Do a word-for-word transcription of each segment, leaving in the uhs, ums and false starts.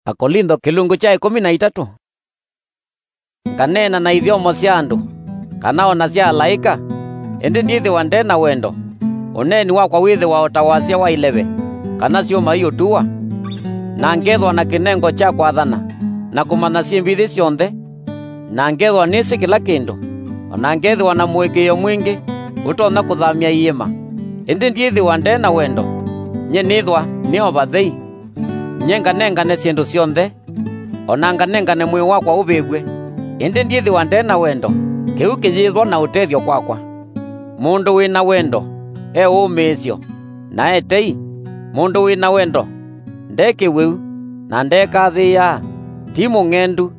Akolintho kĩlungu kya ĩkũmi na itatũ. Nganeena na ithyomo sya andũ, kana o na sya alaĩka, ĩndĩ ndyĩthĩwa nde na wendo, ũneeni wakwa wĩthĩwa o ta wasya wa ileve, kana syũma iũtuwa. Na ngethwa na kĩnengo kya kwathana, na kũmanya syĩmbithi syonthe, na ngethwa nĩsĩ kĩla kĩndũ, o na ngethĩwa na mũĩkĩĩo mwingĩ ũtonya kũthamya iĩma, ĩndĩ ndyĩthĩwa nde na wendo, nyie nĩthwa nĩ o vathei. Nyie nganengane syĩndũ syonthe, o na nganengane mwĩĩ wakwa ũvĩvw'e, ĩndĩ ndyĩthĩwa nde na wendo, kĩu kĩyĩthwa na ũtethyo kwakwa. Mũndũ wĩ na wendo e ũũmĩĩsyo, na e tei. Mũndũ wĩ na wendo nde kĩwĩu, na ndekathĩĩaa, ti mũng'endu,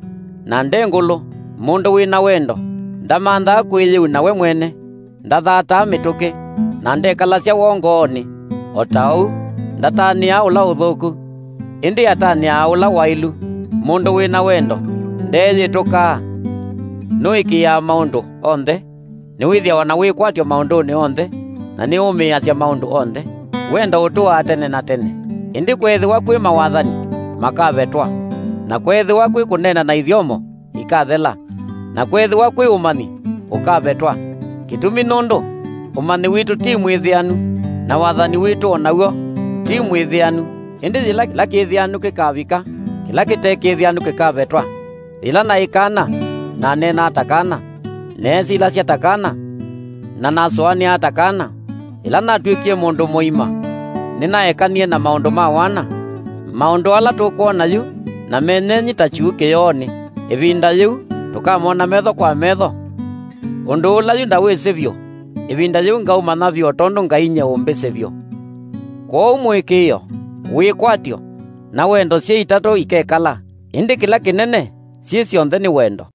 na nde ngũlũ. Mũndũ wĩ na wendo ndamanthaa kwĩyĩuna we mwene, ndathataa mĩtũkĩ, na ndekalasya woo ngoonĩ. O ta ũu, ndatanĩaa ũla ũthũku, ĩndĩ atanĩaa ũla waĩlu. Mũndũ wĩ na wendo ndeeyĩtũkaa, nũĩkĩĩaa maũndũ onthe, nĩwĩthĩawa na wĩkwatyo maũndũnĩ onthe, na nĩũmĩĩasya maũndũ onthe. Wendo ũtũaa tene na tene. Ĩndĩ kweethĩwa kwĩ mawathani, makavetwa, na kweethĩwa kwĩ kũneena na ithyomo, ikathela, na kweethĩwa kwĩ ũmanyi, ũkavetwa. Kĩtumi nũndũ ũmanyi witũ ti mwĩthĩanu, na wathani witũ o naw'o ti mwĩthĩanu. Ĩndĩ yĩla kĩla kĩthĩanu kĩkavika, kĩla kĩte kĩthĩanu kĩkavetwa. Yĩla naĩ kana, naneenaa ta kana, neesilasya ta kana, na nasũanĩaa ta kana. Yĩla natw'ĩkie mũndũ mũima, nĩnaekanie na maũndũ ma wana. Maũndũ ala tũkwona yu na menyenyi ta kyuu kĩyoonĩ. Ĩvinda yĩu tũkamona metho kwa metho. Ũndũ ũla yu ndawĩsĩ vyũ, ĩvinda yĩu ngaũmanya vyũ o tondũ Ngai nyie ũmbĩsĩ vyũ. Kwoou mũĩkĩĩo, wĩkwatyo, na wendo syĩ itatũ ikekala, ĩndĩ kĩla kĩnene syĩ syonthe nĩ wendo.